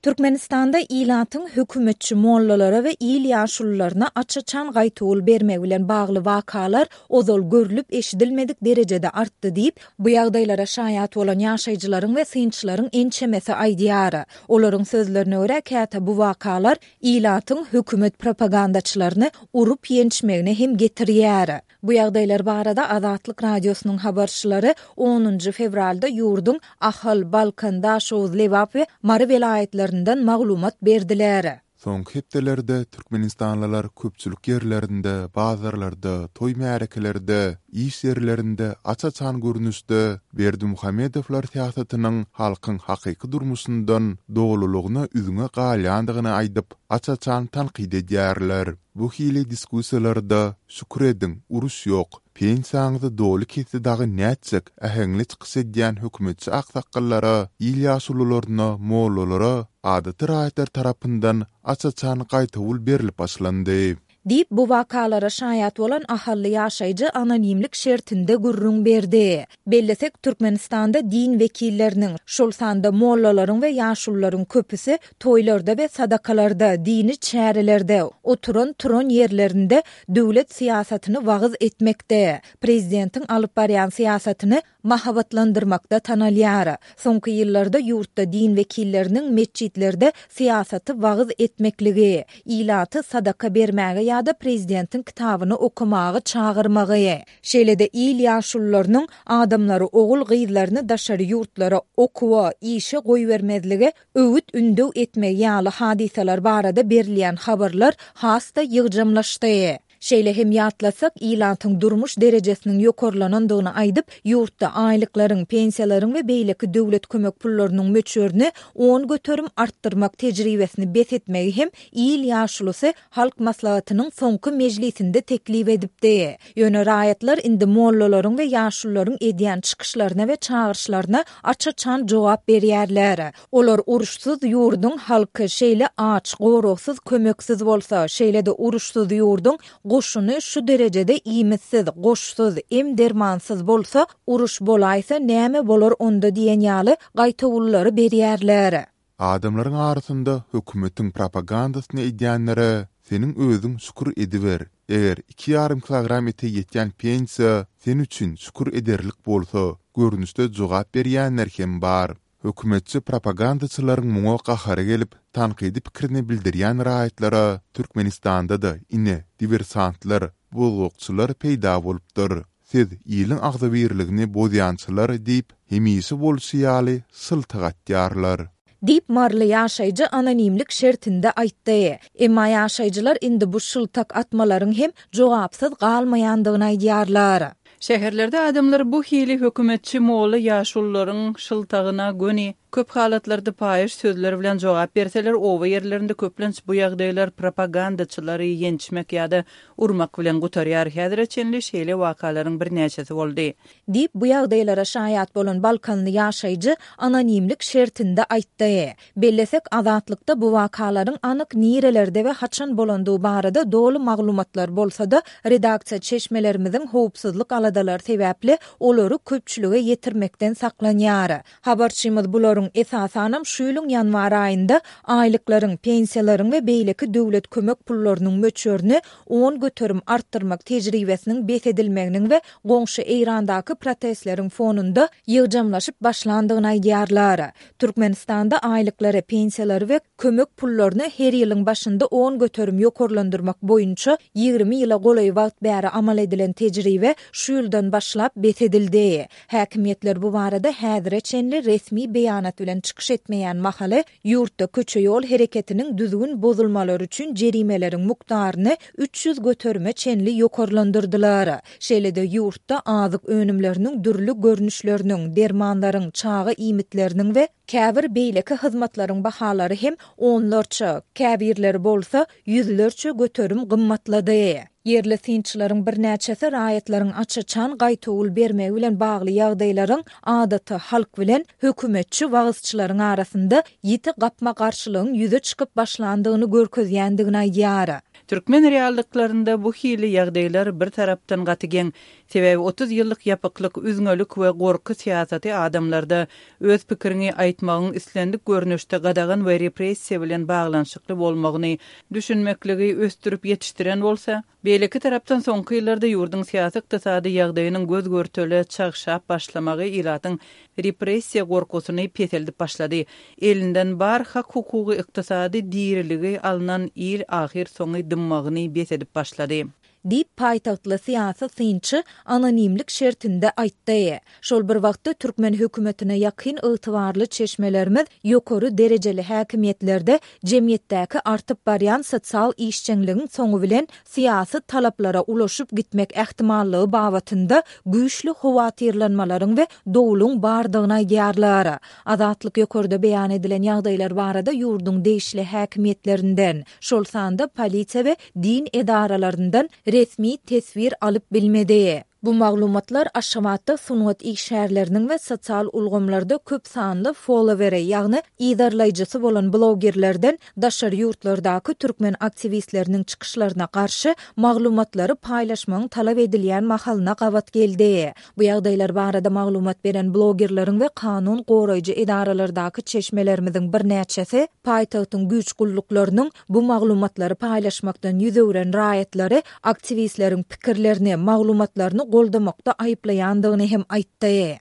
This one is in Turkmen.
Türkmenistanda ilatyň hökümetçi mollalara we il ýaşulularyna aç-açan gaýtawul bermegi bilen bagly wakalar ozal görlüp-eşidilmedik derejede artdy diýip, bu ýagdaýlara şaýat bolan ýaşaýjylaryň we synçylaryň ençemesi aýdýar. Olaryň sözlerine görä, käte bu wakalar ilatyň hökümet propagandaçylaryny urup-ýençmegine hem getirýär. Bu ýagdaýlar barada Azatlyk Radiosynyň habarçylary onunjy fewralda ýurduň Ahal, Balkan, Daşoguz, Lebap we Mary welaýatlaryndan maglumat berdiler. Soňky hepdelerde türkmenistanlylar köpçülik ýerlerinde, bazarlarda, toý-märekelerde, iş ýerlerinde aç-açan görnüşde Berdimuhamedowlar syýasatynyň halkyň hakyky durmuşyndan dolulygyna üzňe galýandygyny aýdyp, aç-açan tankyt edýärler. Bu hili diskussiýalarda Şükür ediň, uruş ýok, pensiýaňyzy doly kesdi dagy nätjek äheňli çykyş edýän hökümetçi aksakgallara, il ýaşulularyna, mollalara adaty raýatlar tarapyndan aç-açan gaýtawul berlip başlandy. Diýip, bu wakalara şaýat bolan ahally ýaşaýjy anonimlik şertinde gürrüň berdi. Bellesek, Türkmenistanda din wekilleriniň, şol sanda mollalaryň we ýaşulularyň köpüsi toýlarda we sadakalarda, dini çärelerde, oturan-turan ýerlerinde döwlet syýasatyny wagyz etmekde, prezidentiň alyp barýan syýasatyny mahabatlandyrmakda tanalýar. Soňky ýyllarda ýurtda din wekilleriniň metjitlerde syýasaty wagyz etmekligi, ilaty sadaka bermäge ýa-da prezidentiň kitabyny okamaga çagyrmagy, Şeýle-de il ýaşulularynyň adamlary ogul-gyzlaryny daşary ýurtlara okuwa, işe goýbermezlige öwüt-ündew etmegi ýaly hadysalar barada berilýän habarlar has-da ýygjamlaşdy. Şeýle hem ýatlasak, ilatyň durmuş derejesiniň ýokarlanandygyny aýdyp, ýurtda aýlyklaryň, pensiýalaryň we beýleki döwlet kömek pullarynyň möçberini 10% artdyrmak tejribesini bes etmegi hem il ýaşulusy Halk Maslahatynyň soňky mejlisinde teklip edipdi. Ýöne raýatlar indi mollalaryň we ýaşulularyň edýän çykyşlaryna we çagyryşlaryna aç-açan jogap berýärler. Olar uruşsyz ýurduň halky şeýle aç, goragsyz, kömeksiz bolsa, şeýle-de uruşsyz ýurduň goşuny şu derejede iýmitsiz, goşsuz, em-dermansyz bolsa, uruş bolaýsa näme bolar onda diýen ýaly gaýtawullary berýärler. Adamlaryň arasynda hökümetiň propagandasyny edýänlere seniň özüň şükür ediber, eger iki ýarym kilogram ete ýetýän pensiýa sen üçin şükür ederlik bolsa, görnüşde jogap berýänler hem bar. Hökümetçi propagandaçylaryň muňa gahary gelip, tankydy pikirini bildirýän raýatlara Türkmenistanda-da, ine, diwersantlar, bozgakçylar peýda bolupdyr. Siz iliň agzybirligini bozýançylar diýip, hemişe bolşy ýaly şyltak atýarlar. Diýip, maryly ýaşaýjy anonimlik şertinde aýtdy. Emma ýaşaýjylar indi bu şyltak atmalaryň hem jogapsyz galmaýandygyny aýdýarlar. Şäherlerde adamlar bu hili hökümetçi molla ýaşulularyň şyltagyna göni, köp halatlarda paýyş sözler bilen jogap berseler, oba ýerlerinde köplenç bu ýagdaýlar propagandaçylary ýençmek ýa-da urmak bilen gutarýar. Häzire çenli şeýle wakalaryň birnäçesi boldy. Diýip, bu ýagdaýlara şaýat bolan balkanly ýaşaýjy anonimlik şertinde aýtdy. Bellesek, Azatlykda bu wakalaryň anyk nirelerde we haçan bolandygy barada doly maglumatlar bolsa-da, redaksiýa çeşmelerimiziň howpsuzlyk aladalary sebäpli olary köpçülige ýetirmekden saklanýar. Habarçymyz bularyň, esasanam, şu ýylyň ýanwar aýynda aýlyklaryň, pensiýalaryň we beýleki döwlet kömek pullarynyň möçberini 10% artdyrmak tejribesiniň bes edilmeginiň we goňşy Eýrandaky protestleriň fonunda ýygjamlaşyp başlandygyny aýdýarlar. Türkmenistanda aýlyklary, pensiýalary we kömek pullaryny her ýylyň başynda 10% ýokarlandyrmak boýunça 20 ýyla golaý wagt bäri amal edilen tejribe şu ýyldan başlap bes edildi. Häkimiýetler bu barada häzire çenli resmi beýanat bilen çykyş etmeýän mahaly, ýurtda köçe-ýol hereketiniň düzgün bozulmalary üçin jerimeleriň mukdaryny 300 göterime çenli ýokarlandyrdylar. Şeýle-de ýurtda azyk önümleriniň dürli görnüşleriniň, dermanlaryň, çaga iýmitleriniň we käbir beýleki hyzmatlaryň bahalary hem onlarça, käbirleri bolsa ýüzlerçe göterim gymmatlady. Ýerli synçylaryň birnäçesi raýatlaryň aç-açan gaýtawul bermegi bilen bagly ýagdaýlaryň adaty halk bilen hökümetçi wagyzçylaryň arasynda ýiti gapma-garşylygyň ýüze çykyp başlandygyny görkezýändigini aýdýar. Türkmen reallyklarynda bu hili ýagdaýlar bir tarapdan gaty geň. Sebäbi 30 ýyllyk ýapyklyk, üzňelik we gorky syýasaty adamlarda öz pikiriňi aýtmagyň islendik görnüşde gadagan we repressiýa bilen baglanyşykly bolmagyny düşünmekligi ösdürip ýetişdiren bolsa, beýleki tarapdan soňky ýyllarda ýurduň syýasy-ykdysady ýagdaýynyň göz-görtele çagşap başlamagy ilatyň repressiýa gorkusyny peseldip başlady. Elinden bar hak-hukugy, ykdysady diriligi alnan il ahyrsoňy dymmagyny bes edip başlady. Diýip, paýtagtly syýasy synçy anonimlik şertinde aýtdy. Şol bir wagtda, türkmen hökümetine ýakyn ygtybarly çeşmelerimiz ýokary derejeli häkimiýetlerde jemgyýetdäki artyp barýan sosial işjeňligiň soňy bilen syýasy talaplara ulaşyp gitmek ähtimallygy babatynda güýçli howatyrlanmalaryň we dowluň bardygyny aýdýarlar. Azatlyk ýokarda beýan edilen ýagdaýlar barada ýurduň degişli häkimiýetlerinden, şol sanda polisiýa we din edaralaryndan resmi teswir alyp bilmedi. Bu maglumatlar Aşgabatda sungat işgärleriniň we sosial ulgamlarda köp sanly followeri, ýagny yzarlaýjysy bolan blogerlerden daşary ýurtlardaky türkmen aktiwistleriniň çykyşlaryna garşy maglumatlary paýlaşmagyň talap edilýän mahalyna gabat geldi. Bu ýagdaýlar barada maglumat beren blogerleriň we kanun goraýjy edaralardaky çeşmelerimiziň birnäçesi paýtagtyň güýç gulluklarynyň bu maglumatlary paýlaşmakdan ýüz öwren raýatlary aktiwistleriň pikirlerini, maglumatlaryny goldamakda aýyplaýandygyny hem aýtdy.